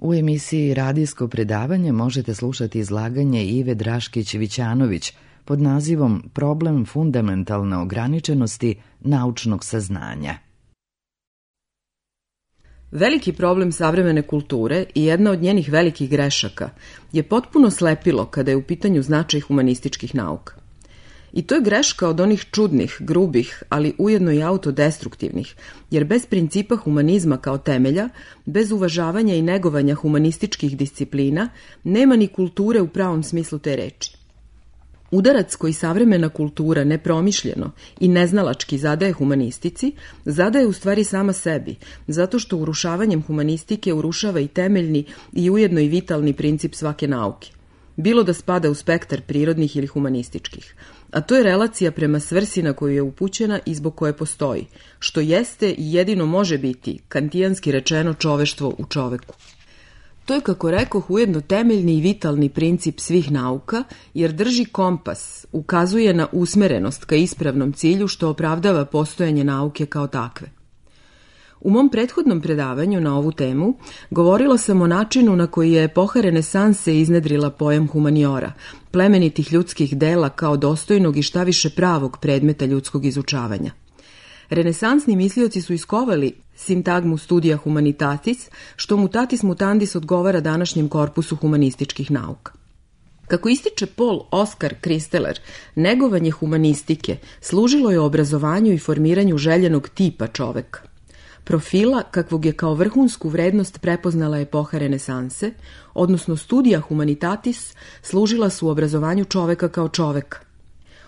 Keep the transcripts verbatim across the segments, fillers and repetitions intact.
U emisiji Radijsko predavanje možete slušati izlaganje Ive Draškić-Vićanović pod nazivom Problem fundamentalne ograničenosti naučnog saznanja. Veliki problem savremene kulture i jedna od njenih velikih grešaka je potpuno slepilo kada je u pitanju značaj humanističkih nauka. I to je greška od onih čudnih, grubih, ali ujedno i autodestruktivnih, jer bez principa humanizma kao temelja, bez uvažavanja i negovanja humanističkih disciplina, nema ni kulture u pravom smislu te reči. Udarac koji savremena kultura nepromišljeno i neznalački zadaje humanistici, zadaje u stvari sama sebi, zato što urušavanjem humanistike urušava i temeljni i ujedno i vitalni princip svake nauke. Bilo da spada u spektar prirodnih ili humanističkih, a to je relacija prema svrsi na koju je upućena i zbog koje postoji, što jeste i jedino može biti, kantijanski rečeno, čoveštvo u čoveku. To je, kako rekoh, ujedno temeljni i vitalni princip svih nauka, jer drži kompas, ukazuje na usmerenost ka ispravnom cilju što opravdava postojanje nauke kao takve. U mom prethodnom predavanju na ovu temu govorila sam o načinu na koji je epoha renesanse iznedrila pojam humaniora, plemenitih ljudskih dela kao dostojnog i štaviše pravog predmeta ljudskog izučavanja. Renesansni mislioci su iskovali sintagmu studija humanitatis, što mutatis mutandis odgovara današnjem korpusu humanističkih nauka. Kako ističe Paul Oskar Kristeler, negovanje humanistike služilo je obrazovanju i formiranju željenog tipa čoveka. Profila kakvog je kao vrhunsku vrednost prepoznala epoha renesanse, odnosno studija humanitatis, služila su obrazovanju čoveka kao čoveka.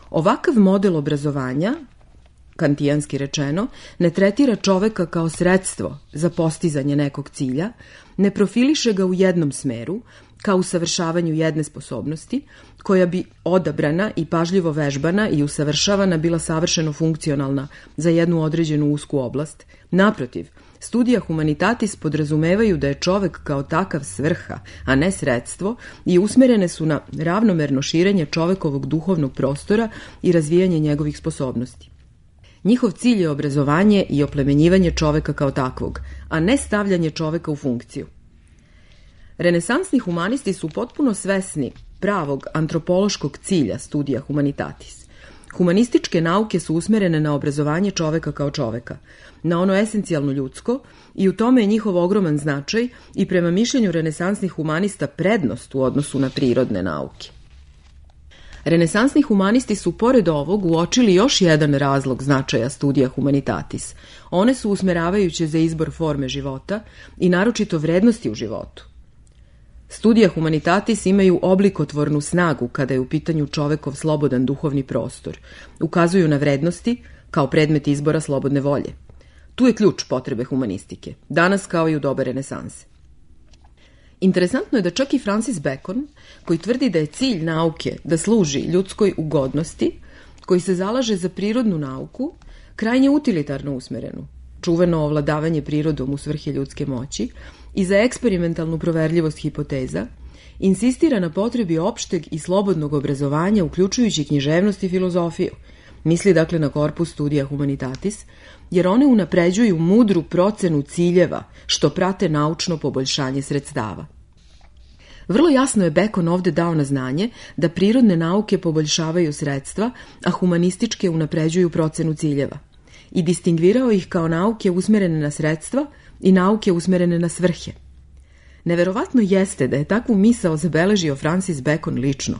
Ovakav model obrazovanja, kantijanski rečeno, ne tretira čoveka kao sredstvo za postizanje nekog cilja, ne profiliše ga u jednom smeru, kao usavršavanju jedne sposobnosti, koja bi odabrana i pažljivo vežbana i usavršavana bila savršeno funkcionalna za jednu određenu usku oblast. Naprotiv, studija humanitatis podrazumevaju da je čovek kao takav svrha, a ne sredstvo, i usmerene su na ravnomerno širenje čovekovog duhovnog prostora i razvijanje njegovih sposobnosti. Njihov cilj je obrazovanje i oplemenjivanje čoveka kao takvog, a ne stavljanje čoveka u funkciju. Renesansni humanisti su potpuno svesni pravog antropološkog cilja studija humanitatis. Humanističke nauke su usmerene na obrazovanje čoveka kao čoveka, na ono esencijalno ljudsko, i u tome je njihov ogroman značaj i prema mišljenju renesansnih humanista prednost u odnosu na prirodne nauke. Renesansni humanisti su pored ovog uočili još jedan razlog značaja studija humanitatis. One su usmeravajuće za izbor forme života i naročito vrednosti u životu. Studija humanitatis imaju oblikotvornu snagu kada je u pitanju čovekov slobodan duhovni prostor. Ukazuju na vrednosti kao predmet izbora slobodne volje. Tu je ključ potrebe humanistike, danas kao i u doba renesanse. Interesantno je da čak i Francis Bacon, koji tvrdi da je cilj nauke da služi ljudskoj ugodnosti, koji se zalaže za prirodnu nauku, krajnje utilitarno usmerenu, čuveno ovladavanje prirodom u svrhe ljudske moći i za eksperimentalnu proverljivost hipoteza, insistira na potrebi opšteg i slobodnog obrazovanja, uključujući književnost i filozofiju. Misli dakle na korpus studija humanitatis, jer one unapređuju mudru procenu ciljeva što prate naučno poboljšanje sredstava. Vrlo jasno je Bacon ovde dao na znanje da prirodne nauke poboljšavaju sredstva, a humanističke unapređuju procenu ciljeva, i distingvirao ih kao nauke usmerene na sredstva i nauke usmerene na svrhe. Neverovatno jeste da je takvu misao zabeležio Francis Bacon lično.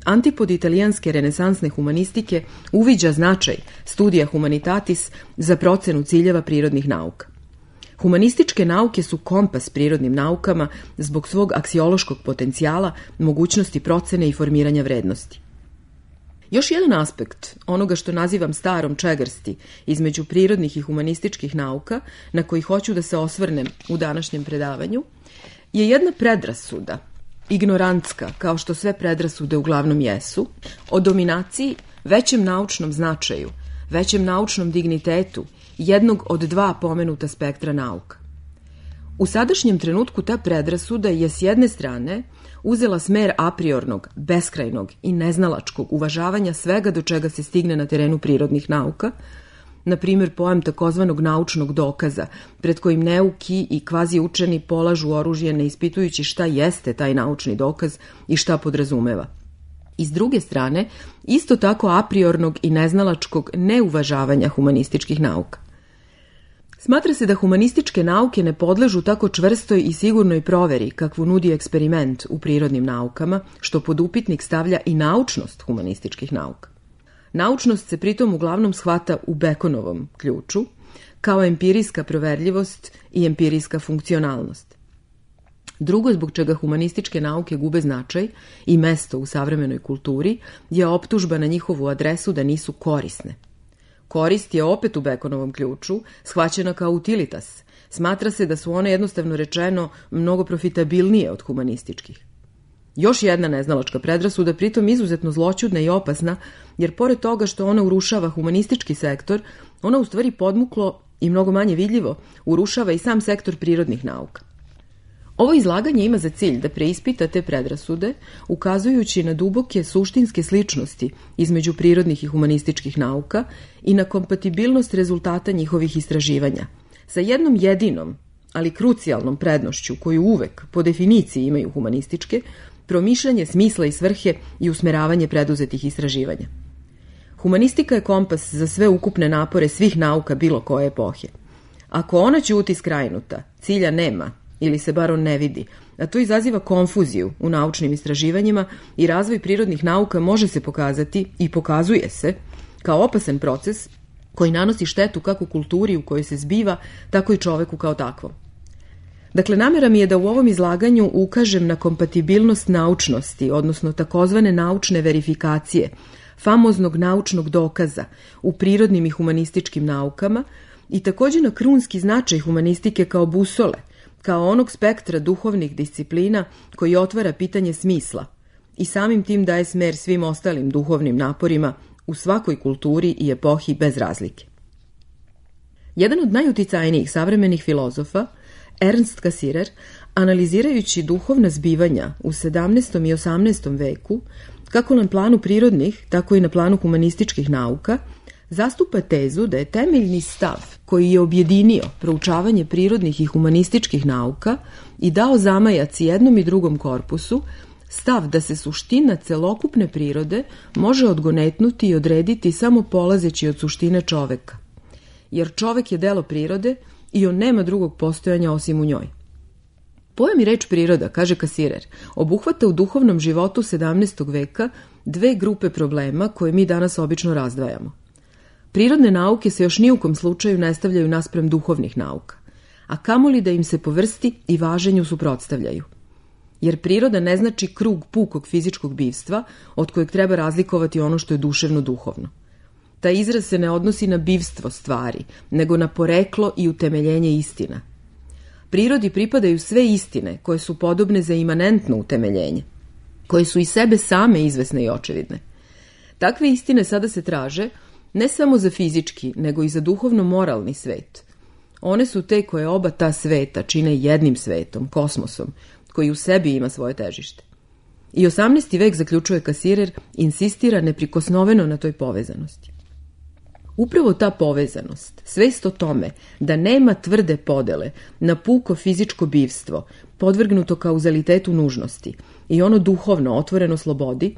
Antipod italijanske renesansne humanistike uviđa značaj studija humanitatis za procenu ciljeva prirodnih nauka. Humanističke nauke su kompas prirodnim naukama zbog svog aksiološkog potencijala, mogućnosti procene i formiranja vrednosti. Još jedan aspekt onoga što nazivam starom čegrsti između prirodnih i humanističkih nauka, na koji hoću da se osvrnem u današnjem predavanju, je jedna predrasuda, ignorantska, kao što sve predrasude uglavnom jesu, o dominaciji, većem naučnom značaju, većem naučnom dignitetu jednog od dva pomenuta spektra nauka. U sadašnjem trenutku ta predrasuda je s jedne strane uzela smer apriornog, beskrajnog i neznalačkog uvažavanja svega do čega se stigne na terenu prirodnih nauka, na primjer pojam takozvanog naučnog dokaza, pred kojim neuki i kvazi učeni polažu oružje ne ispitujući šta jeste taj naučni dokaz i šta podrazumeva. I s druge strane, isto tako apriornog i neznalačkog neuvažavanja humanističkih nauka. Smatra se da humanističke nauke ne podležu tako čvrstoj i sigurnoj proveri kakvu nudi eksperiment u prirodnim naukama, što pod upitnik stavlja i naučnost humanističkih nauka. Naučnost se pritom uglavnom shvata u Bekonovom ključu, kao empirijska proverljivost i empirijska funkcionalnost. Drugo zbog čega humanističke nauke gube značaj i mesto u savremenoj kulturi je optužba na njihovu adresu da nisu korisne. Korist je opet u Bekonovom ključu shvaćena kao utilitas. Smatra se da su one jednostavno rečeno mnogo profitabilnije od humanističkih. Još jedna neznalačka predrasuda, pritom izuzetno zloćudna i opasna, jer pored toga što ona urušava humanistički sektor, ona u stvari podmuklo i mnogo manje vidljivo urušava i sam sektor prirodnih nauka. Ovo izlaganje ima za cilj da preispita te predrasude, ukazujući na duboke suštinske sličnosti između prirodnih i humanističkih nauka i na kompatibilnost rezultata njihovih istraživanja, sa jednom jedinom, ali krucijalnom prednošću koju uvek, po definiciji imaju humanističke, promišljanje smisla i svrhe i usmeravanje preduzetih istraživanja. Humanistika je kompas za sve ukupne napore svih nauka bilo koje epohe. Ako ona ćuti skrajnuta, cilja nema, ili se bar on ne vidi, a to izaziva konfuziju u naučnim istraživanjima i razvoj prirodnih nauka može se pokazati i pokazuje se kao opasan proces koji nanosi štetu kako kulturi u kojoj se zbiva, tako i čoveku kao takvom. Dakle, namera mi je da u ovom izlaganju ukažem na kompatibilnost naučnosti, odnosno takozvane naučne verifikacije, famoznog naučnog dokaza u prirodnim i humanističkim naukama i također na krunski značaj humanistike kao busole, kao onog spektra duhovnih disciplina koji otvara pitanje smisla i samim tim daje smer svim ostalim duhovnim naporima u svakoj kulturi i epohi bez razlike. Jedan od najuticajnijih savremenih filozofa, Ernst Cassirer, analizirajući duhovna zbivanja u sedamnaestom i osamnaestom veku, kako na planu prirodnih, tako i na planu humanističkih nauka, zastupa tezu da je temeljni stav koji je objedinio proučavanje prirodnih i humanističkih nauka i dao zamajac jednom i drugom korpusu, stav da se suština celokupne prirode može odgonetnuti i odrediti samo polazeći od suštine čoveka. Jer čovek je delo prirode i on nema drugog postojanja osim u njoj. Pojam i reč priroda, kaže Cassirer, obuhvata u duhovnom životu sedamnaestog veka dve grupe problema koje mi danas obično razdvajamo. Prirodne nauke se još ni u kom slučaju ne stavljaju naspram duhovnih nauka, a kamoli da im se po vrsti i važenju suprotstavljaju. Jer priroda ne znači krug pukog fizičkog bivstva od kojeg treba razlikovati ono što je duševno duhovno. Taj izraz se ne odnosi na bivstvo stvari, nego na poreklo i utemeljenje istina. Prirodi pripadaju sve istine koje su podobne za imanentno utemeljenje, koje su i sebe same izvesne i očevidne. Takve istine sada se traže ne samo za fizički, nego i za duhovno-moralni svet. One su te koje oba ta sveta čine jednim svetom, kosmosom, koji u sebi ima svoje težište. I osamnaesti vek, zaključuje Cassirer, insistira neprikosnoveno na toj povezanosti. Upravo ta povezanost, svest o tome da nema tvrde podele na puko fizičko bivstvo, podvrgnuto kauzalitetu nužnosti, i ono duhovno, otvoreno slobodi,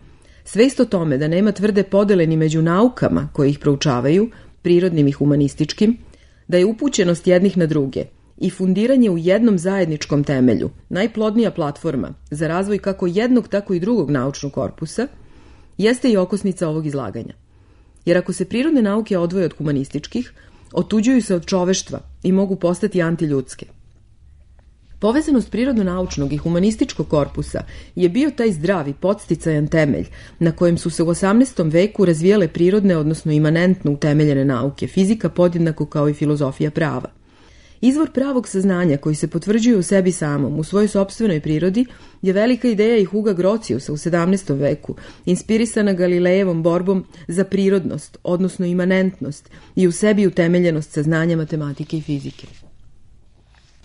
svest o tome da nema tvrde podele ni među naukama koje ih proučavaju, prirodnim i humanističkim, da je upućenost jednih na druge i fundiranje u jednom zajedničkom temelju, najplodnija platforma za razvoj kako jednog, tako i drugog naučnog korpusa, jeste i okosnica ovog izlaganja. Jer ako se prirodne nauke odvoje od humanističkih, otuđuju se od čoveštva i mogu postati antiljudske. Povezanost prirodno-naučnog i humanističkog korpusa je bio taj zdravi, podsticajan temelj na kojem su se u osamnaestom veku razvijale prirodne, odnosno imanentno utemeljene nauke, fizika podjednako kao i filozofija prava. Izvor pravog saznanja koji se potvrđuje u sebi samom, u svojoj sopstvenoj prirodi, je velika ideja i Huga Grotiusa u sedamnaestom veku, inspirisana Galilejevom borbom za prirodnost, odnosno imanentnost i u sebi utemeljenost saznanja matematike i fizike.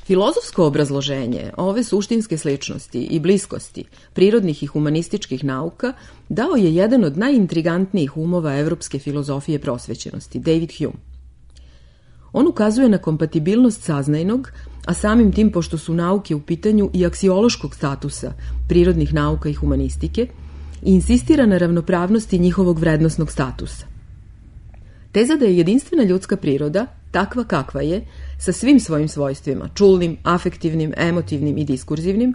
Filozofsko obrazloženje ove suštinske sličnosti i bliskosti prirodnih i humanističkih nauka dao je jedan od najintrigantnijih umova evropske filozofije prosvećenosti, David Hume. On ukazuje na kompatibilnost saznajnog, a samim tim, pošto su nauke u pitanju, i aksiološkog statusa prirodnih nauka i humanistike, i insistira na ravnopravnosti njihovog vrednosnog statusa. Teza da je jedinstvena ljudska priroda, takva kakva je, sa svim svojim svojstvima, čulnim, afektivnim, emotivnim i diskurzivnim,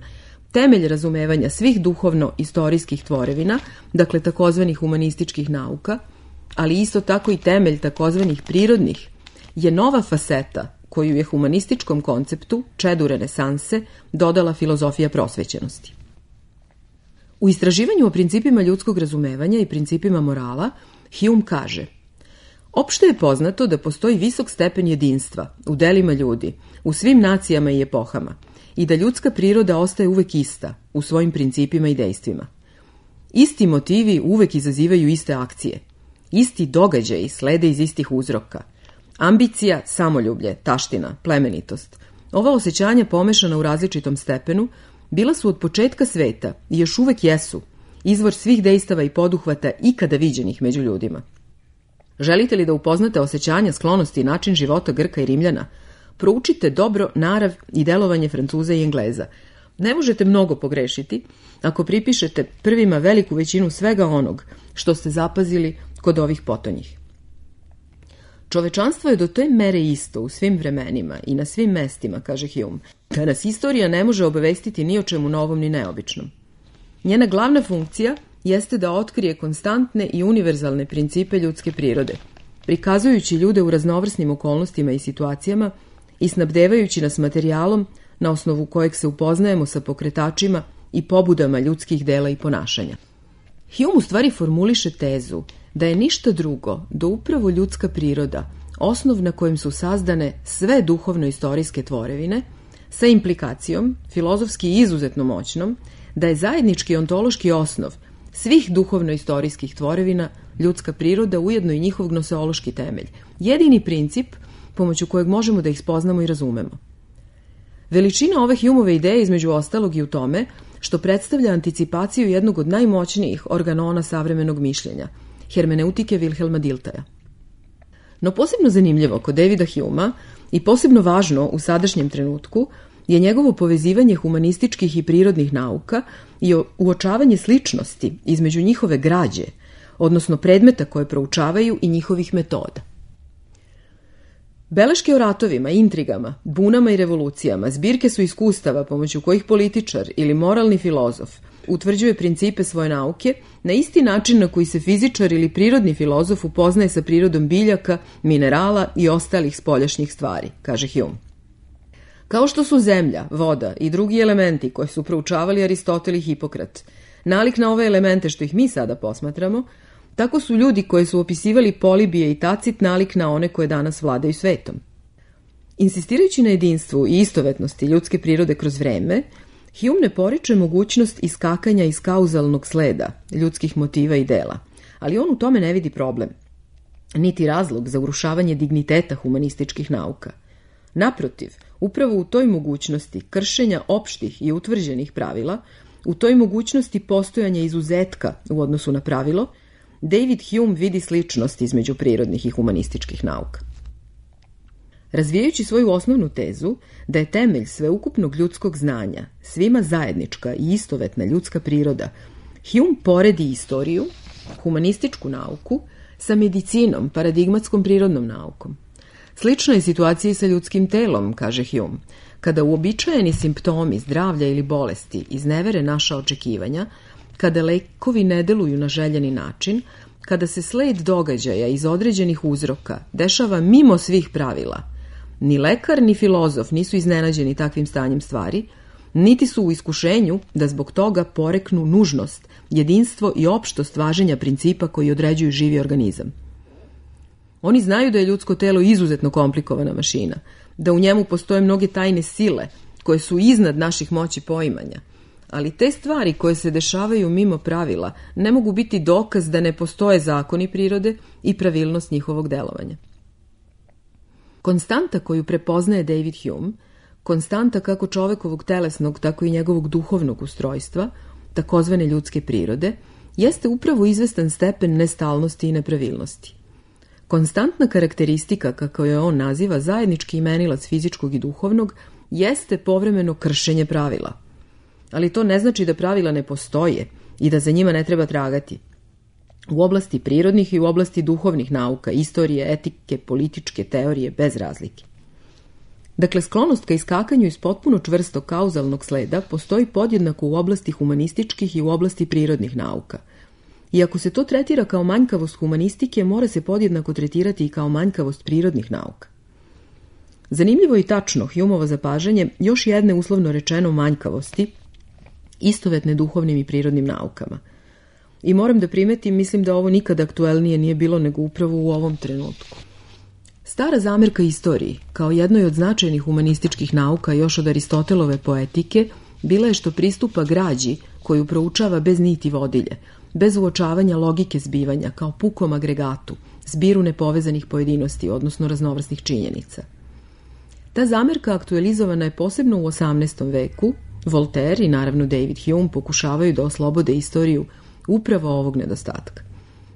temelj razumevanja svih duhovno-istorijskih tvorevina, dakle takozvanih humanističkih nauka, ali isto tako i temelj takozvanih prirodnih, je nova faseta koju je humanističkom konceptu, čedu renesanse, dodala filozofija prosvećenosti. U istraživanju o principima ljudskog razumevanja i principima morala, Hume kaže: opšte je poznato da postoji visok stepen jedinstva u delima ljudi, u svim nacijama i epohama, i da ljudska priroda ostaje uvek ista u svojim principima i dejstvima. Isti motivi uvek izazivaju iste akcije. Isti događaji slede iz istih uzroka. Ambicija, samoljublje, taština, plemenitost. Ova osjećanja pomešana u različitom stepenu bila su od početka sveta i još uvek jesu izvor svih dejstava i poduhvata ikada viđenih među ljudima. Želite li da upoznate osjećanja, sklonosti i način života Grka i Rimljana? Proučite dobro narav i delovanje Francuza i Engleza. Ne možete mnogo pogrešiti ako pripišete prvima veliku većinu svega onog što ste zapazili kod ovih potonjih. Čovečanstvo je do te mere isto u svim vremenima i na svim mestima, kaže Hume, da nas istorija ne može obavestiti ni o čemu novom ni neobičnom. Njena glavna funkcija jeste da otkrije konstantne i univerzalne principe ljudske prirode, prikazujući ljude u raznovrsnim okolnostima i situacijama i snabdevajući nas materijalom na osnovu kojeg se upoznajemo sa pokretačima i pobudama ljudskih dela i ponašanja. Hume u stvari formuliše tezu da je ništa drugo do upravo ljudska priroda, osnov na kojem su sazdane sve duhovno-istorijske tvorevine, sa implikacijom, filozofski izuzetno moćnom, da je zajednički ontološki osnov svih duhovno-istorijskih tvorevina ljudska priroda, ujedno i njihov gnoseološki temelj, jedini princip pomoću kojeg možemo da ih spoznamo i razumemo. Veličina ove Humeove ideje između ostalog i u tome što predstavlja anticipaciju jednog od najmoćnijih organona savremenog mišljenja, hermeneutike Wilhelma Diltaja. No posebno zanimljivo kod Davida Humea i posebno važno u sadašnjem trenutku je njegovo povezivanje humanističkih i prirodnih nauka i uočavanje sličnosti između njihove građe, odnosno predmeta koje proučavaju i njihovih metoda. Beleške o ratovima, intrigama, bunama i revolucijama zbirke su iskustava pomoću kojih političar ili moralni filozof utvrđuje principe svoje nauke na isti način na koji se fizičar ili prirodni filozof upoznaje sa prirodom biljaka, minerala i ostalih spoljašnjih stvari, kaže Hume. Kao što su zemlja, voda i drugi elementi koje su proučavali Aristotel i Hipokrat nalik na ove elemente što ih mi sada posmatramo, tako su ljudi koji su opisivali Polibije i Tacit nalik na one koje danas vladaju svetom. Insistirajući na jedinstvu i istovetnosti ljudske prirode kroz vreme, Hume ne poriče mogućnost iskakanja iz kauzalnog sleda ljudskih motiva i dela, ali on u tome ne vidi problem, niti razlog za urušavanje digniteta humanističkih nauka. Naprotiv, upravo u toj mogućnosti kršenja opštih i utvrđenih pravila, u toj mogućnosti postojanja izuzetka u odnosu na pravilo, David Hume vidi sličnost između prirodnih i humanističkih nauka. Razvijajući svoju osnovnu tezu da je temelj sveukupnog ljudskog znanja svima zajednička i istovetna ljudska priroda, Hume poredi istoriju, humanističku nauku, sa medicinom, paradigmatskom prirodnom naukom. Slična je situacija i sa ljudskim telom, kaže Hume. Kada uobičajeni simptomi zdravlja ili bolesti iznevere naša očekivanja, kada lekovi ne deluju na željeni način, kada se sled događaja iz određenih uzroka dešava mimo svih pravila, ni lekar ni filozof nisu iznenađeni takvim stanjem stvari, niti su u iskušenju da zbog toga poreknu nužnost, jedinstvo i opštost važenja principa koji određuju živi organizam. Oni znaju da je ljudsko telo izuzetno komplikovana mašina, da u njemu postoje mnoge tajne sile koje su iznad naših moći poimanja, ali te stvari koje se dešavaju mimo pravila ne mogu biti dokaz da ne postoje zakoni prirode i pravilnost njihovog delovanja. Konstanta koju prepoznaje David Hume, konstanta kako čovekovog telesnog, tako i njegovog duhovnog ustrojstva, takozvane ljudske prirode, jeste upravo izvestan stepen nestalnosti i nepravilnosti. Konstantna karakteristika, kako je on naziva, zajednički imenilac fizičkog i duhovnog, jeste povremeno kršenje pravila. Ali to ne znači da pravila ne postoje i da za njima ne treba tragati. U oblasti prirodnih i u oblasti duhovnih nauka, istorije, etike, političke teorije, bez razlike. Dakle, sklonost ka iskakanju iz potpuno čvrstog kauzalnog sleda postoji podjednako u oblasti humanističkih i u oblasti prirodnih nauka. I ako se to tretira kao manjkavost humanistike, mora se podjednako tretirati i kao manjkavost prirodnih nauka. Zanimljivo i tačno Humeovo zapažanje još jedne uslovno rečeno manjkavosti, istovetne duhovnim i prirodnim naukama. I moram da primetim, mislim da ovo nikad aktuelnije nije bilo nego upravo u ovom trenutku. Stara zamerka istoriji, kao jednoj od značajnih humanističkih nauka još od Aristotelove poetike, bila je što pristupa građi koju proučava bez niti vodilje, bez uočavanja logike zbivanja, kao pukom agregatu, zbiru nepovezanih pojedinosti, odnosno raznovrsnih činjenica. Ta zamerka aktualizovana je posebno u osamnaestom veku. Voltaire i naravno David Hume pokušavaju da oslobode istoriju upravo ovog nedostatka.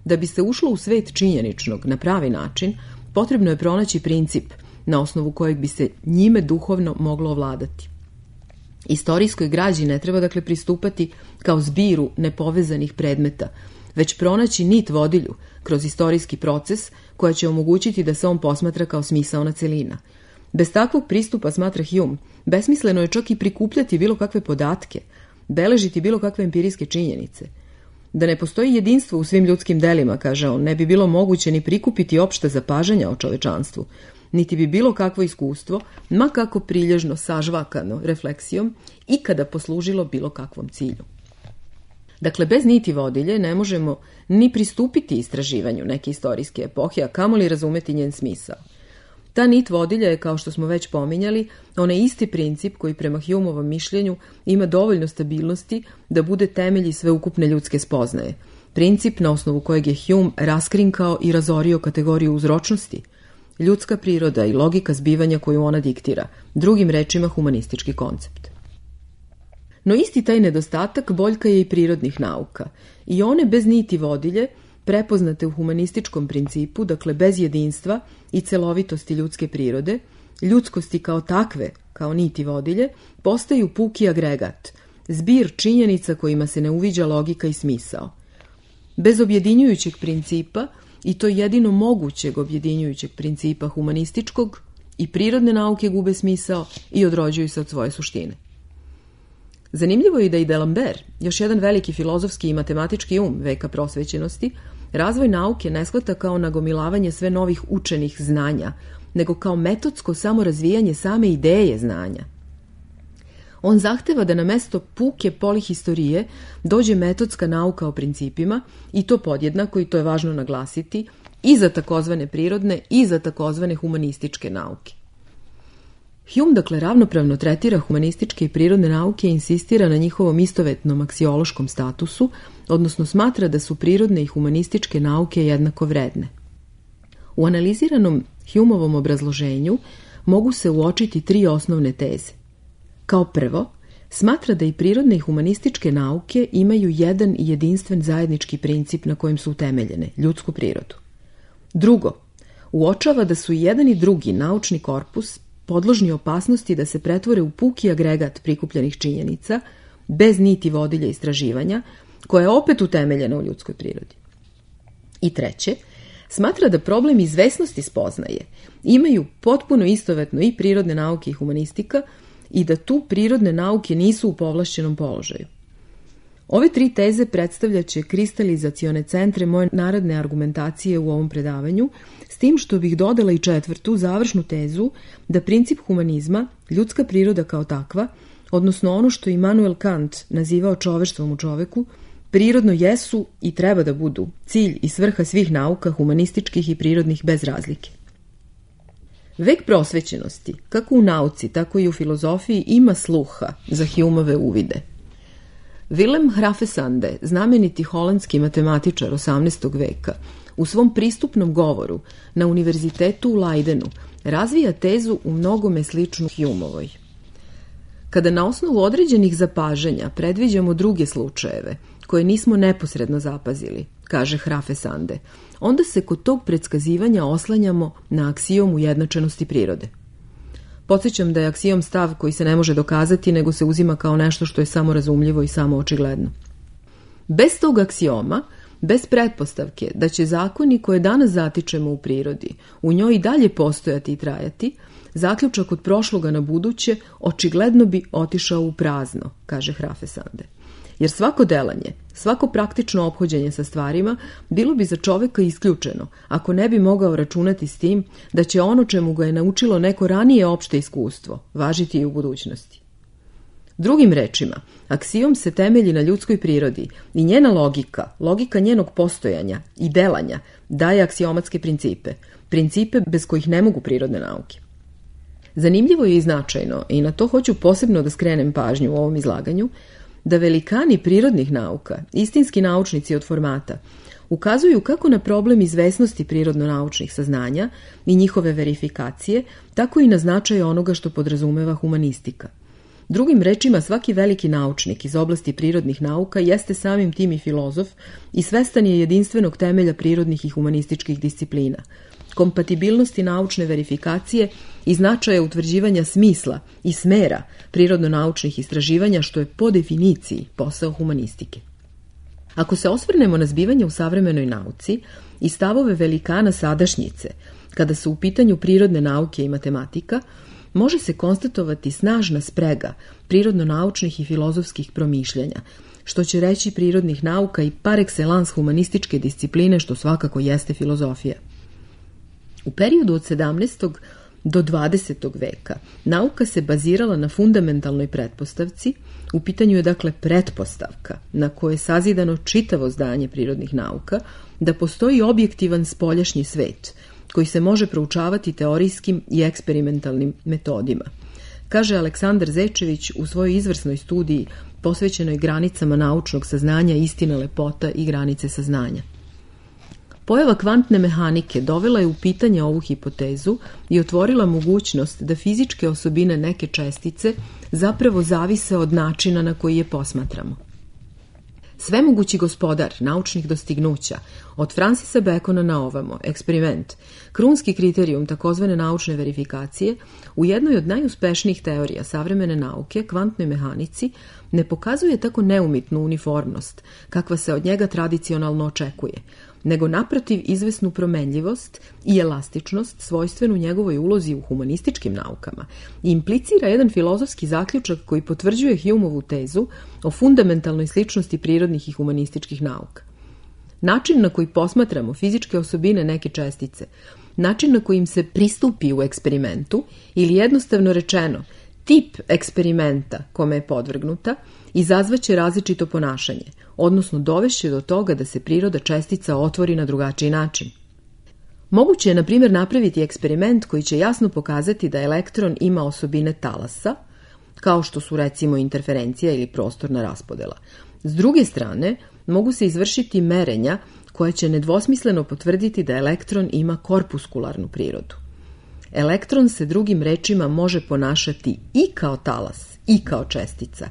Da bi se ušlo u svet činjeničnog na pravi način, potrebno je pronaći princip na osnovu kojeg bi se njime duhovno moglo ovladati. Istorijskoj građi ne treba dakle pristupati kao zbiru nepovezanih predmeta, već pronaći nit vodilju kroz istorijski proces koja će omogućiti da se on posmatra kao smisaona celina. Bez takvog pristupa, smatra Hume, besmisleno je čak i prikupljati bilo kakve podatke, beležiti bilo kakve empirijske činjenice. Da ne postoji jedinstvo u svim ljudskim delima, kaže on, ne bi bilo moguće ni prikupiti opšta zapažanja o čovečanstvu, niti bi bilo kakvo iskustvo, ma kako prilježno sažvakano refleksijom, ikada poslužilo bilo kakvom cilju. Dakle, bez niti vodilje ne možemo ni pristupiti istraživanju neke istorijske epohe, a kamoli razumeti njen smisao. Ta nit vodilja je, kao što smo već pominjali, onaj isti princip koji prema Humeovom mišljenju ima dovoljno stabilnosti da bude temelj sveukupne ljudske spoznaje. Princip na osnovu kojeg je Hume raskrinkao i razorio kategoriju uzročnosti, ljudska priroda i logika zbivanja koju ona diktira, drugim rečima humanistički koncept. No isti taj nedostatak boljka je i prirodnih nauka, i one bez niti vodilje, prepoznate u humanističkom principu, dakle bez jedinstva i celovitosti ljudske prirode, ljudskosti kao takve, kao niti vodilje, postaju puki agregat, zbir činjenica kojima se ne uviđa logika i smisao. Bez objedinjujućeg principa, i to jedino mogućeg objedinjujućeg principa humanističkog, i prirodne nauke gube smisao i odrođuju se od svoje suštine. Zanimljivo je i da i D'Alembert, još jedan veliki filozofski i matematički um veka prosvećenosti, razvoj nauke ne shvata kao nagomilavanje sve novih učenih znanja, nego kao metodsko samorazvijanje same ideje znanja. On zahteva da na mesto puke polihistorije dođe metodska nauka o principima, i to podjednako, i to je važno naglasiti, i za takozvane prirodne i za takozvane humanističke nauke. Hume, dakle, ravnopravno tretira humanističke i prirodne nauke i insistira na njihovom istovetnom aksiološkom statusu, odnosno smatra da su prirodne i humanističke nauke jednako vredne. U analiziranom Humeovom obrazloženju mogu se uočiti tri osnovne teze. Kao prvo, smatra da i prirodne i humanističke nauke imaju jedan i jedinstven zajednički princip na kojem su utemeljene, ljudsku prirodu. Drugo, uočava da su i jedan i drugi naučni korpus podložni opasnosti da se pretvore u puki agregat prikupljenih činjenica, bez niti vodilja istraživanja, koja je opet utemeljena u ljudskoj prirodi. I treće, smatra da problem izvesnosti spoznaje imaju potpuno istovetno i prirodne nauke i humanistika i da tu prirodne nauke nisu u povlašćenom položaju. Ove tri teze predstavljaće kristalizacione centre moje naredne argumentacije u ovom predavanju, s tim što bih dodala i četvrtu, završnu tezu, da princip humanizma, ljudska priroda kao takva, odnosno ono što Immanuel Kant nazivao čoveštvom u čoveku, prirodno jesu i treba da budu cilj i svrha svih nauka humanističkih i prirodnih bez razlike. Vek prosvećenosti, kako u nauci, tako i u filozofiji, ima sluha za Humeove uvide. Willem Hrafesande, znameniti holandski matematičar osamnaestog veka, u svom pristupnom govoru na univerzitetu u Leidenu razvija tezu u mnogome sličnu Humeovoj. Kada na osnovu određenih zapažanja predviđamo druge slučajeve, koje nismo neposredno zapazili, kaže Hrafesande, onda se kod tog predskazivanja oslanjamo na aksijom ujednačenosti prirode. Podsjećam da je aksijom stav koji se ne može dokazati, nego se uzima kao nešto što je samo razumljivo i samo očigledno. Bez tog aksijoma, bez pretpostavke da će zakoni koje danas zatičemo u prirodi u njoj i dalje postojati i trajati, zaključak od prošloga na buduće očigledno bi otišao u prazno, kaže Hrafesande. Jer svako delanje, svako praktično ophođenje sa stvarima bilo bi za čoveka isključeno, ako ne bi mogao računati s tim da će ono čemu ga je naučilo neko ranije opšte iskustvo važiti i u budućnosti. Drugim rečima, aksijom se temelji na ljudskoj prirodi i njena logika, logika njenog postojanja i delanja daje aksiomatske principe, principe bez kojih ne mogu prirodne nauke. Zanimljivo je i značajno, i na to hoću posebno da skrenem pažnju u ovom izlaganju, da velikani prirodnih nauka, istinski naučnici od formata, ukazuju kako na problem izvesnosti prirodno-naučnih saznanja i njihove verifikacije, tako i na značaj onoga što podrazumeva humanistika. Drugim rečima, svaki veliki naučnik iz oblasti prirodnih nauka jeste samim tim i filozof i svestan je jedinstvenog temelja prirodnih i humanističkih disciplina, kompatibilnosti naučne verifikacije i značaja utvrđivanja smisla i smera prirodno-naučnih istraživanja, što je po definiciji posao humanistike. Ako se osvrnemo na zbivanje u savremenoj nauci i stavove velikana sadašnjice, kada su u pitanju prirodne nauke i matematika, može se konstatovati snažna sprega prirodno-naučnih i filozofskih promišljanja, što će reći prirodnih nauka i par excellence humanističke discipline, što svakako jeste filozofija. U periodu od sedamnaestog do dvadesetog veka nauka se bazirala na fundamentalnoj pretpostavci, u pitanju je dakle pretpostavka na kojoj je sazidano čitavo zdanje prirodnih nauka, da postoji objektivan spoljašnji svet koji se može proučavati teorijskim i eksperimentalnim metodima. Kaže Aleksandar Zečević u svojoj izvrsnoj studiji posvećenoj granicama naučnog saznanja, istina, lepota i granice saznanja. Pojava kvantne mehanike dovela je u pitanje ovu hipotezu i otvorila mogućnost da fizičke osobine neke čestice zapravo zavise od načina na koji je posmatramo. Svemogući gospodar naučnih dostignuća, od Francisa Bacona na ovamo, eksperiment, krunski kriterijum takozvane naučne verifikacije, u jednoj od najuspešnijih teorija savremene nauke, kvantnoj mehanici, ne pokazuje tako neumitnu uniformnost, kakva se od njega tradicionalno očekuje, nego naprotiv izvesnu promenljivost i elastičnost svojstvenu njegovoj ulozi u humanističkim naukama i implicira jedan filozofski zaključak koji potvrđuje Humeovu tezu o fundamentalnoj sličnosti prirodnih i humanističkih nauka. Način na koji posmatramo fizičke osobine neke čestice, način na kojim se pristupi u eksperimentu ili jednostavno rečeno tip eksperimenta kome je podvrgnuta, izazvaće različito ponašanje, odnosno dovešće do toga da se priroda čestica otvori na drugačiji način. Moguće je, na primjer, napraviti eksperiment koji će jasno pokazati da elektron ima osobine talasa, kao što su recimo interferencija ili prostorna raspodela. S druge strane, mogu se izvršiti merenja koja će nedvosmisleno potvrditi da elektron ima korpuskularnu prirodu. Elektron se, drugim rečima, može ponašati i kao talas i kao čestica,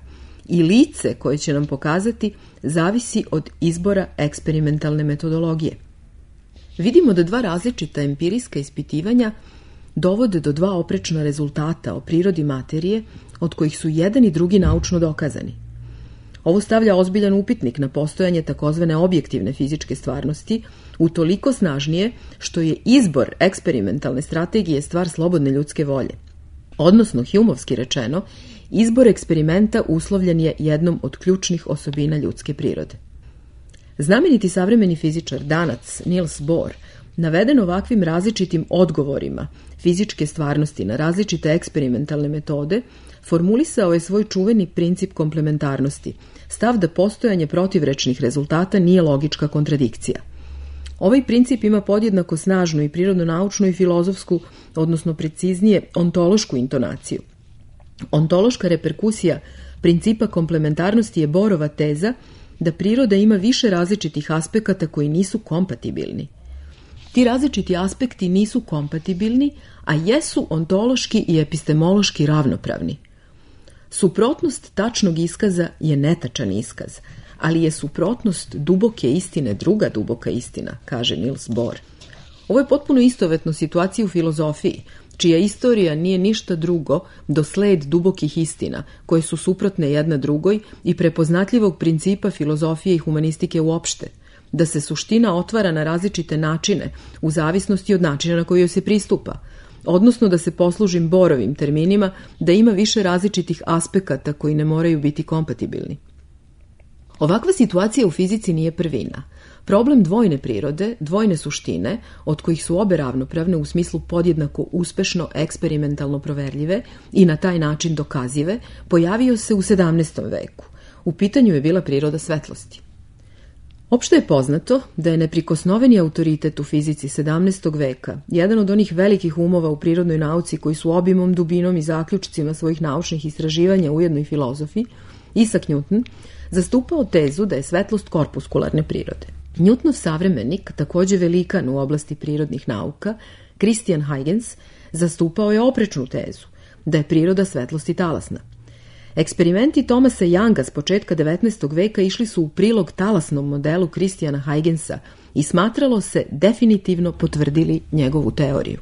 i lice koje će nam pokazati zavisi od izbora eksperimentalne metodologije. Vidimo da dva različita empirijska ispitivanja dovode do dva oprečna rezultata o prirodi materije, od kojih su jedan i drugi naučno dokazani. Ovo stavlja ozbiljan upitnik na postojanje takozvane objektivne fizičke stvarnosti, utoliko snažnije što je izbor eksperimentalne strategije stvar slobodne ljudske volje. Odnosno, Humeovski rečeno, izbor eksperimenta uslovljen je jednom od ključnih osobina ljudske prirode. Znameniti savremeni fizičar, danac Niels Bohr, naveden ovakvim različitim odgovorima fizičke stvarnosti na različite eksperimentalne metode, formulisao je svoj čuveni princip komplementarnosti, stav da postojanje protivrečnih rezultata nije logička kontradikcija. Ovaj princip ima podjednako snažnu i prirodno-naučnu i filozofsku, odnosno preciznije ontološku intonaciju. Ontološka reperkusija principa komplementarnosti je Bohrova teza da priroda ima više različitih aspekata koji nisu kompatibilni. Ti različiti aspekti nisu kompatibilni, a jesu ontološki i epistemološki ravnopravni. Suprotnost tačnog iskaza je netačan iskaz, ali je suprotnost duboke istine druga duboka istina, kaže Niels Bohr. Ovo je potpuno istovetno situaciji u filozofiji, čija istorija nije ništa drugo do sled dubokih istina, koje su suprotne jedna drugoj i prepoznatljivog principa filozofije i humanistike uopšte, da se suština otvara na različite načine u zavisnosti od načina na koji joj se pristupa, odnosno da se poslužim Borovim terminima, da ima više različitih aspekata koji ne moraju biti kompatibilni. Ovakva situacija u fizici nije prvina. Problem dvojne prirode, dvojne suštine, od kojih su obe ravnopravne u smislu podjednako uspešno eksperimentalno proverljive i na taj način dokazive, pojavio se u sedamnaestom veku. U pitanju je bila priroda svetlosti. Opšte je poznato da je neprikosnoveni autoritet u fizici sedamnaestog veka, jedan od onih velikih umova u prirodnoj nauci koji su obimom, dubinom i zaključcima svojih naučnih istraživanja ujedno i filozofi, Isaac Newton, zastupao tezu da je svetlost korpuskularne prirode. Newtonov savremenik, takođe velikan u oblasti prirodnih nauka, Christian Huygens, zastupao je oprečnu tezu, da je priroda svetlosti talasna. Eksperimenti Thomasa Younga s početka devetnaestog veka išli su u prilog talasnom modelu Christiana Huygensa i smatralo se definitivno potvrdili njegovu teoriju.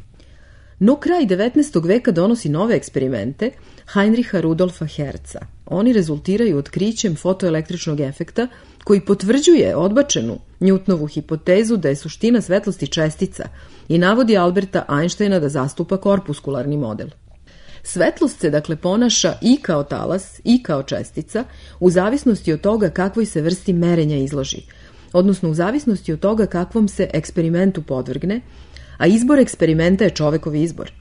No kraj devetnaestog veka donosi nove eksperimente Heinricha Rudolfa Hertza. Oni rezultiraju otkrićem fotoelektričnog efekta koji potvrđuje odbačenu Newtonovu hipotezu da je suština svetlosti čestica i navodi Alberta Einsteina da zastupa korpuskularni model. Svetlost se dakle ponaša i kao talas i kao čestica u zavisnosti od toga kakvoj se vrsti merenja izloži, odnosno u zavisnosti od toga kakvom se eksperimentu podvrgne, a izbor eksperimenta je čovekov izbor.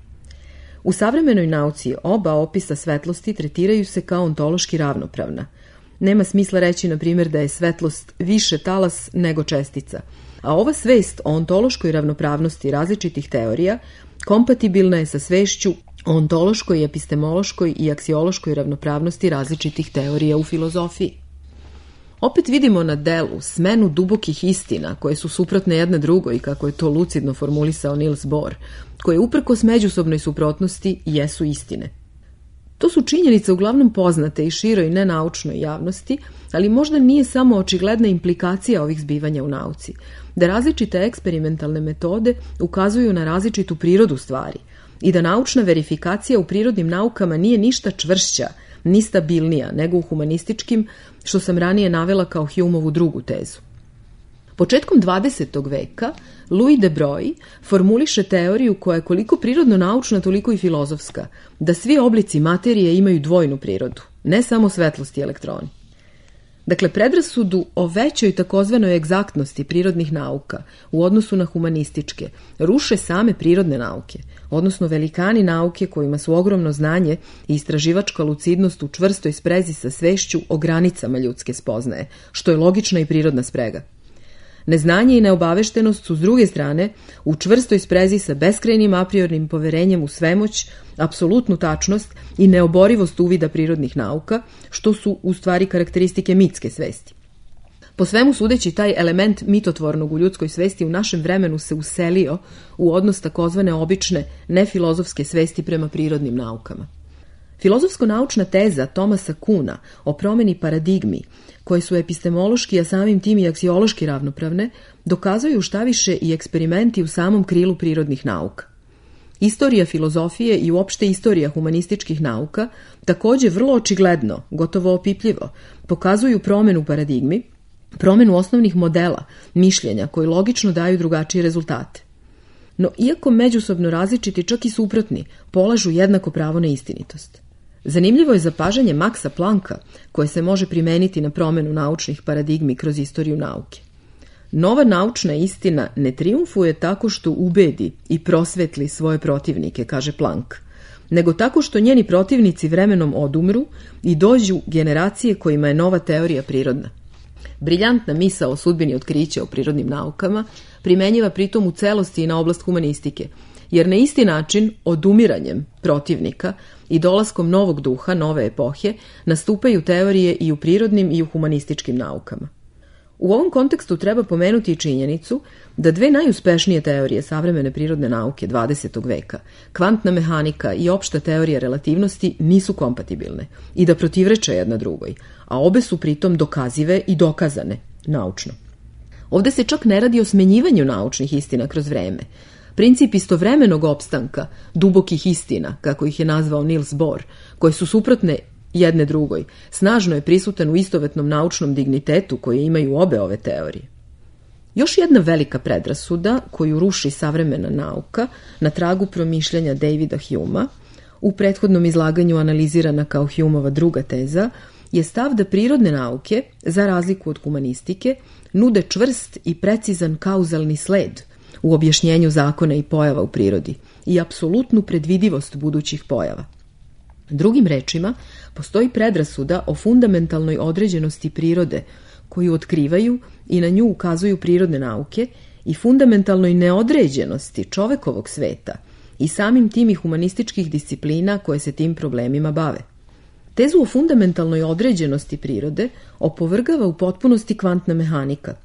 U savremenoj nauci oba opisa svetlosti tretiraju se kao ontološki ravnopravna. Nema smisla reći, na primjer, da je svetlost više talas nego čestica, a ova svest o ontološkoj ravnopravnosti različitih teorija kompatibilna je sa svešću o ontološkoj, epistemološkoj i aksiološkoj ravnopravnosti različitih teorija u filozofiji. Opet vidimo na delu smenu dubokih istina koje su suprotne jedna drugoj, kako je to lucidno formulisao Niels Bohr, koje uprkos međusobnoj suprotnosti jesu istine. To su činjenice uglavnom poznate i široj nenaučnoj javnosti, ali možda nije samo očigledna implikacija ovih zbivanja u nauci, da različite eksperimentalne metode ukazuju na različitu prirodu stvari i da naučna verifikacija u prirodnim naukama nije ništa čvršća ni stabilnija nego u humanističkim, što sam ranije navela kao Humeovu drugu tezu. Početkom dvadesetog veka Louis de Broglie formuliše teoriju koja je koliko prirodno naučna, toliko i filozofska, da svi oblici materije imaju dvojnu prirodu, ne samo svetlost i elektroni. Dakle, predrasudu o većoj takozvanoj egzaktnosti prirodnih nauka u odnosu na humanističke ruše same prirodne nauke, odnosno velikani nauke kojima su ogromno znanje i istraživačka lucidnost u čvrstoj sprezi sa svešću o granicama ljudske spoznaje, što je logična i prirodna sprega. Neznanje i neobaveštenost su s druge strane u čvrstoj sprezi sa beskrajnim apriornim poverenjem u svemoć, apsolutnu tačnost i neoborivost uvida prirodnih nauka, što su u stvari karakteristike mitske svesti. Po svemu sudeći, taj element mitotvornog u ljudskoj svesti u našem vremenu se uselio u odnos takozvane obične, nefilozofske svesti prema prirodnim naukama. Filozofsko-naučna teza Thomasa Kuhna o promeni paradigmi, koje su epistemološki, a samim tim i aksiološki ravnopravne, dokazuju šta više i eksperimenti u samom krilu prirodnih nauka. Istorija filozofije i uopšte istorija humanističkih nauka takođe vrlo očigledno, gotovo opipljivo, pokazuju promenu paradigmi, promenu osnovnih modela, mišljenja koji logično daju drugačije rezultate. No, iako međusobno različiti, čak i suprotni, polažu jednako pravo na istinitost. Zanimljivo je zapažanje Maxa Plancka, koje se može primeniti na promenu naučnih paradigmi kroz istoriju nauke. Nova naučna istina ne triumfuje tako što ubedi i prosvetli svoje protivnike, kaže Planck, nego tako što njeni protivnici vremenom odumru i dođu generacije kojima je nova teorija prirodna. Briljantna misao o sudbini otkrića u prirodnim naukama primenjiva pritom u celosti i na oblast humanistike, jer na isti način, odumiranjem protivnika i dolaskom novog duha, nove epohe, nastupaju teorije i u prirodnim i u humanističkim naukama. U ovom kontekstu treba pomenuti i činjenicu da dve najuspešnije teorije savremene prirodne nauke dvadesetog veka, kvantna mehanika i opšta teorija relativnosti, nisu kompatibilne i da protivreče jedna drugoj, a obe su pritom dokazive i dokazane naučno. Ovde se čak ne radi o smenjivanju naučnih istina kroz vreme. Princip istovremenog opstanka dubokih istina, kako ih je nazvao Niels Bohr, koje su suprotne jedne drugoj, snažno je prisutan u istovetnom naučnom dignitetu koje imaju obe ove teorije. Još jedna velika predrasuda koju ruši savremena nauka na tragu promišljanja Davida Humea, u prethodnom izlaganju analizirana kao Humeova druga teza, je stav da prirodne nauke, za razliku od humanistike, nude čvrst i precizan kauzalni sled u objašnjenju zakona i pojava u prirodi i apsolutnu predvidivost budućih pojava. Drugim rečima, postoji predrasuda o fundamentalnoj određenosti prirode koju otkrivaju i na nju ukazuju prirodne nauke i fundamentalnoj neodređenosti čovekovog sveta i samim tim i humanističkih disciplina koje se tim problemima bave. Tezu o fundamentalnoj određenosti prirode opovrgava u potpunosti kvantna mehanika.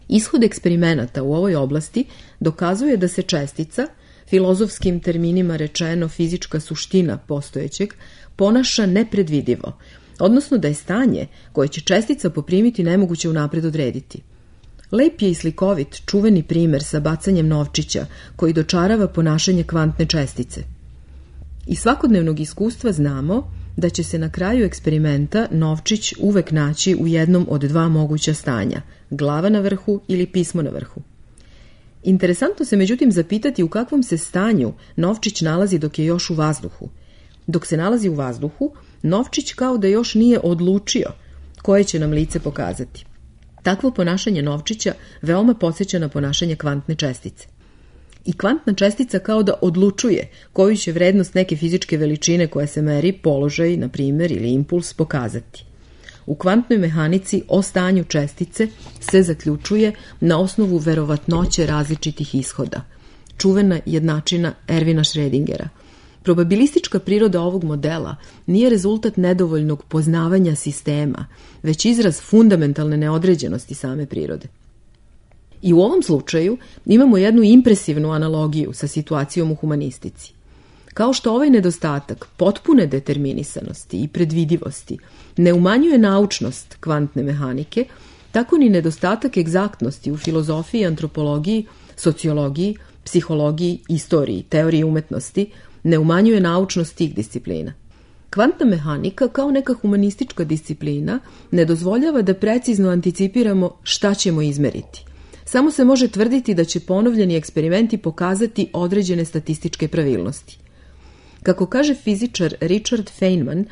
Ishod eksperimenata u ovoj oblasti dokazuje da se čestica, filozofskim terminima rečeno fizička suština postojećeg, ponaša nepredvidivo, odnosno da je stanje koje će čestica poprimiti nemoguće unapred odrediti. Lep je i slikovit čuveni primer sa bacanjem novčića koji dočarava ponašanje kvantne čestice. Iz svakodnevnog iskustva znamo da će se na kraju eksperimenta novčić uvek naći u jednom od dva moguća stanja, glava na vrhu ili pismo na vrhu. Interesantno se međutim zapitati u kakvom se stanju novčić nalazi dok je još u vazduhu. Dok se nalazi u vazduhu, novčić kao da još nije odlučio koje će nam lice pokazati. Takvo ponašanje novčića veoma podsjeća na ponašanje kvantne čestice. I kvantna čestica kao da odlučuje koju će vrednost neke fizičke veličine koja se meri, položaj, na primjer, ili impuls pokazati. U kvantnoj mehanici o stanju čestice se zaključuje na osnovu verovatnoće različitih ishoda. Čuvena jednačina Ervina Schrödingera. Probabilistička priroda ovog modela nije rezultat nedovoljnog poznavanja sistema, već izraz fundamentalne neodređenosti same prirode. I u ovom slučaju imamo jednu impresivnu analogiju sa situacijom u humanistici. Kao što ovaj nedostatak potpune determinisanosti i predvidivosti ne umanjuje naučnost kvantne mehanike, tako ni nedostatak egzaktnosti u filozofiji, antropologiji, sociologiji, psihologiji, istoriji, teoriji umetnosti ne umanjuje naučnost tih disciplina. Kvantna mehanika kao neka humanistička disciplina ne dozvoljava da precizno anticipiramo šta ćemo izmeriti. Samo se može tvrditi da će ponovljeni eksperimenti pokazati određene statističke pravilnosti. Kako kaže fizičar Richard Feynman,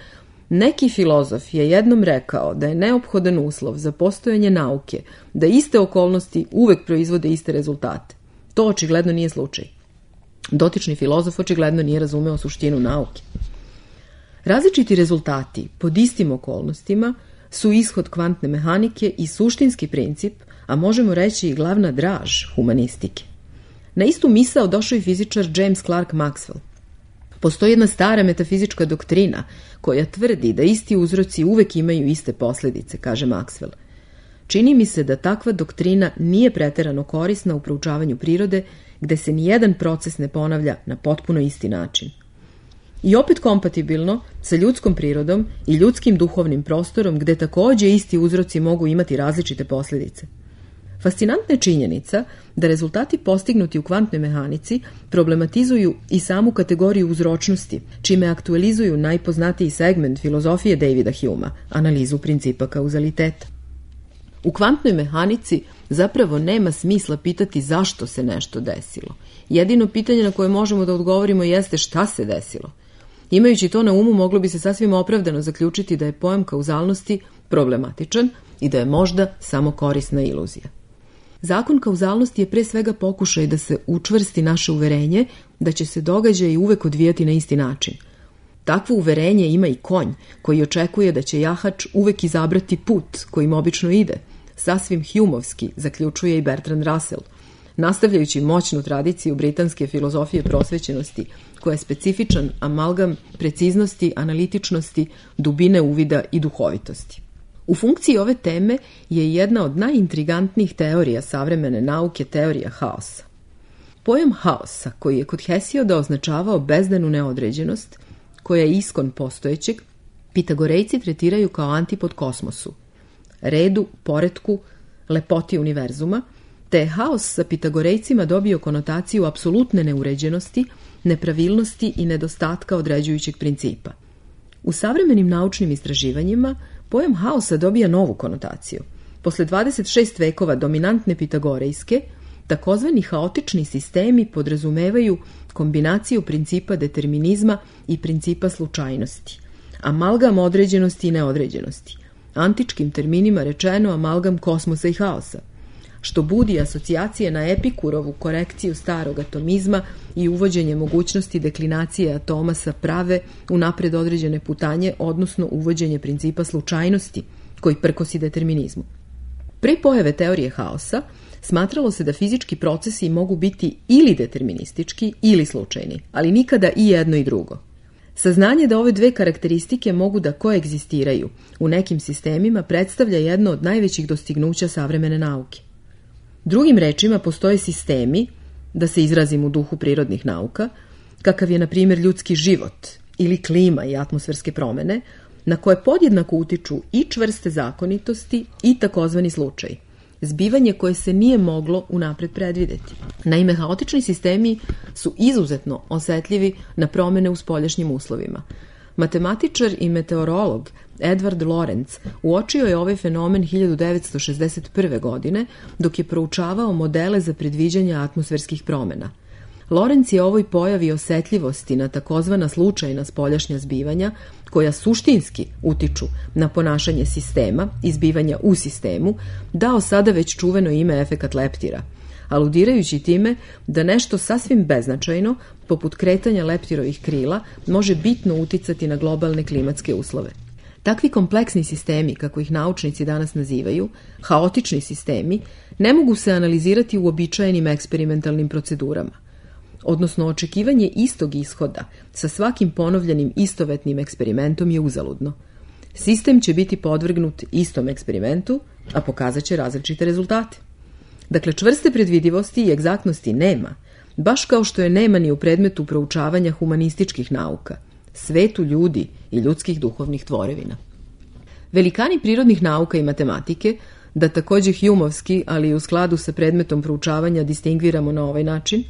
neki filozof je jednom rekao da je neophodan uslov za postojanje nauke da iste okolnosti uvek proizvode iste rezultate. To očigledno nije slučaj. Dotični filozof očigledno nije razumeo suštinu nauke. Različiti rezultati pod istim okolnostima su ishod kvantne mehanike i suštinski princip, a možemo reći i glavna draž humanistike. Na istu misao došao i fizičar James Clerk Maxwell. Postoji jedna stara metafizička doktrina koja tvrdi da isti uzroci uvek imaju iste posljedice, kaže Maxwell. Čini mi se da takva doktrina nije preterano korisna u proučavanju prirode, gde se nijedan proces ne ponavlja na potpuno isti način. I opet kompatibilno sa ljudskom prirodom i ljudskim duhovnim prostorom, gde takođe isti uzroci mogu imati različite posljedice. Fascinantna je činjenica da rezultati postignuti u kvantnoj mehanici problematizuju i samu kategoriju uzročnosti, čime aktualizuju najpoznatiji segment filozofije Davida Humea, analizu principa kauzaliteta. U kvantnoj mehanici zapravo nema smisla pitati zašto se nešto desilo. Jedino pitanje na koje možemo da odgovorimo jeste šta se desilo. Imajući to na umu, moglo bi se sasvim opravdano zaključiti da je pojam kauzalnosti problematičan i da je možda samo korisna iluzija. Zakon kauzalnosti je pre svega pokušaj da se učvrsti naše uverenje da će se događaji uvek odvijati na isti način. Takvo uverenje ima i konj koji očekuje da će jahač uvek izabrati put kojim obično ide. Sasvim Humeovski, zaključuje i Bertrand Russell, nastavljajući moćnu tradiciju britanske filozofije prosvećenosti, koja je specifičan amalgam preciznosti, analitičnosti, dubine uvida i duhovitosti. U funkciji ove teme je jedna od najintrigantnijih teorija savremene nauke teorija haosa. Pojam haosa, koji je kod Hesioda označavao bezdanu neodređenost, koja je iskon postojećeg, Pitagorejci tretiraju kao antipod kosmosu, redu, poretku, lepoti univerzuma, te je haos sa Pitagorejcima dobio konotaciju apsolutne neuređenosti, nepravilnosti i nedostatka određujućeg principa. U savremenim naučnim istraživanjima pojam haosa dobija novu konotaciju. Posle dvadeset šest vekova dominantne pitagorejske, takozvani haotični sistemi podrazumevaju kombinaciju principa determinizma i principa slučajnosti, amalgam određenosti i neodređenosti, antičkim terminima rečeno amalgam kosmosa i haosa, što budi asocijacije na Epikurovu korekciju starog atomizma i uvođenje mogućnosti deklinacije atoma sa prave u napred određene putanje, odnosno uvođenje principa slučajnosti koji prkosi determinizmu. Pre pojave teorije haosa smatralo se da fizički procesi mogu biti ili deterministički ili slučajni, ali nikada i jedno i drugo. Saznanje da ove dve karakteristike mogu da koegzistiraju u nekim sistemima predstavlja jedno od najvećih dostignuća savremene nauke. Drugim rečima, postoje sistemi, da se izrazim u duhu prirodnih nauka, kakav je, na primjer, ljudski život ili klima i atmosferske promene, na koje podjednako utiču i čvrste zakonitosti i takozvani slučaj, zbivanje koje se nije moglo unapred predvideti. Naime, haotični sistemi su izuzetno osetljivi na promene u spoljašnjim uslovima. Matematičar i meteorolog Edward Lorenz uočio je ovaj fenomen hiljadu devetsto šezdeset prve. godine dok je proučavao modele za predviđanje atmosferskih promena. Lorenz je ovoj pojavi osetljivosti na takozvana slučajna spoljašnja zbivanja, koja suštinski utiču na ponašanje sistema i zbivanja u sistemu, dao sada već čuveno ime efekat leptira, aludirajući time da nešto sasvim beznačajno, poput kretanja leptirovih krila, može bitno uticati na globalne klimatske uslove. Takvi kompleksni sistemi, kako ih naučnici danas nazivaju, haotični sistemi, ne mogu se analizirati u uobičajenim eksperimentalnim procedurama, odnosno očekivanje istog ishoda sa svakim ponovljenim istovetnim eksperimentom je uzaludno. Sistem će biti podvrgnut istom eksperimentu, a pokazat će različite rezultate. Dakle, čvrste predvidivosti i egzaktnosti nema, baš kao što je nema ni u predmetu proučavanja humanističkih nauka, svetu ljudi i ljudskih duhovnih tvorevina. Velikani prirodnih nauka i matematike, da takođe Humeovski, ali i u skladu sa predmetom proučavanja distingviramo na ovaj način,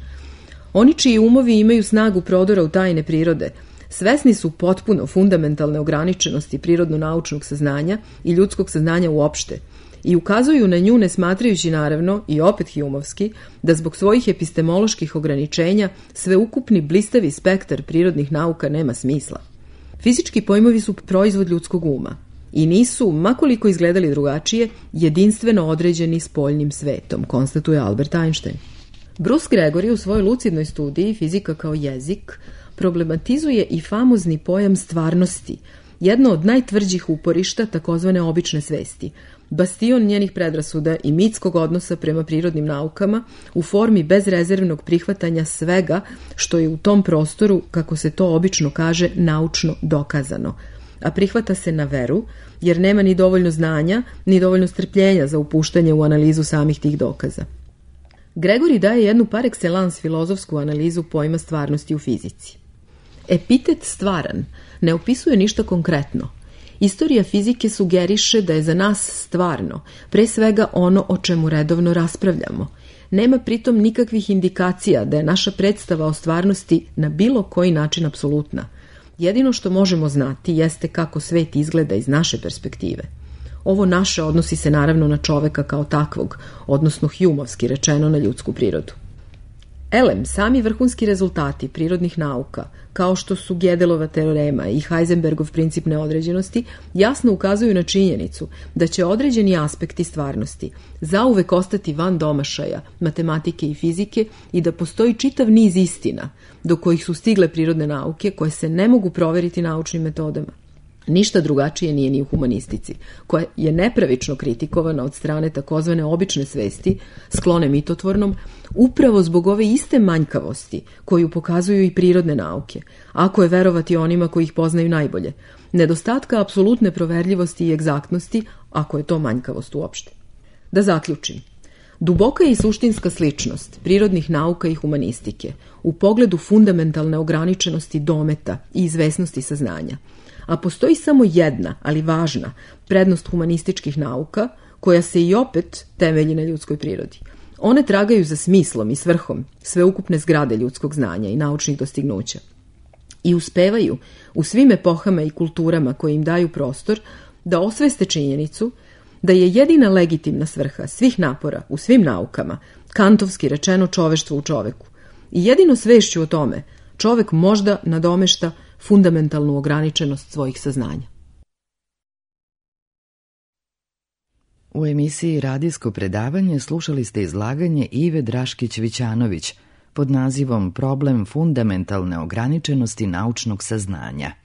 oni čiji umovi imaju snagu prodora u tajne prirode, svesni su potpuno fundamentalne ograničenosti prirodno-naučnog saznanja i ljudskog saznanja uopšte i ukazuju na nju ne smatrajući naravno, i opet Humeovski, da zbog svojih epistemoloških ograničenja sveukupni blistavi spektar prirodnih nauka nema smisla. Fizički pojmovi su proizvod ljudskog uma i nisu, makoliko izgledali drugačije, jedinstveno određeni spoljnim svetom, konstatuje Albert Einstein. Bruce Gregory u svojoj lucidnoj studiji Fizika kao jezik problematizuje i famozni pojam stvarnosti, jedno od najtvrđih uporišta takozvane obične svesti, bastion njenih predrasuda i mitskog odnosa prema prirodnim naukama u formi bezrezervnog prihvatanja svega što je u tom prostoru, kako se to obično kaže, naučno dokazano, a prihvata se na veru, jer nema ni dovoljno znanja, ni dovoljno strpljenja za upuštanje u analizu samih tih dokaza. Gregory daje jednu par excellence filozofsku analizu pojma stvarnosti u fizici. Epitet stvaran ne opisuje ništa konkretno. Istorija fizike sugeriše da je za nas stvarno, pre svega ono o čemu redovno raspravljamo. Nema pritom nikakvih indikacija da je naša predstava o stvarnosti na bilo koji način apsolutna. Jedino što možemo znati jeste kako svet izgleda iz naše perspektive. Ovo naše odnosi se naravno na čoveka kao takvog, odnosno Humeovski rečeno na ljudsku prirodu. Elem, sami vrhunski rezultati prirodnih nauka, kao što su Gödelova teorema i Heisenbergov princip neodređenosti, jasno ukazuju na činjenicu da će određeni aspekti stvarnosti zauvek ostati van domašaja matematike i fizike i da postoji čitav niz istina do kojih su stigle prirodne nauke koje se ne mogu proveriti naučnim metodama. Ništa drugačije nije ni u humanistici, koja je nepravično kritikovana od strane takozvane obične svesti, sklone mitotvornom, upravo zbog ove iste manjkavosti koju pokazuju i prirodne nauke, ako je verovati onima koji ih poznaju najbolje, nedostatka apsolutne proverljivosti i egzaktnosti, ako je to manjkavost uopšte. Da zaključim. Duboka je i suštinska sličnost prirodnih nauka i humanistike u pogledu fundamentalne ograničenosti dometa i izvesnosti saznanja, a postoji samo jedna, ali važna, prednost humanističkih nauka, koja se i opet temelji na ljudskoj prirodi. One tragaju za smislom i svrhom sveukupne zgrade ljudskog znanja i naučnih dostignuća i uspevaju u svim epohama i kulturama koje im daju prostor da osveste činjenicu da je jedina legitimna svrha svih napora u svim naukama, kantovski rečeno, čoveštvo u čoveku. I jedino svešću o tome čovek možda nadomešta fundamentalnu ograničenost svojih saznanja. U emisiji Radijsko predavanje slušali ste izlaganje Ive Draškić-Vićanović pod nazivom Problem fundamentalne ograničenosti naučnog saznanja.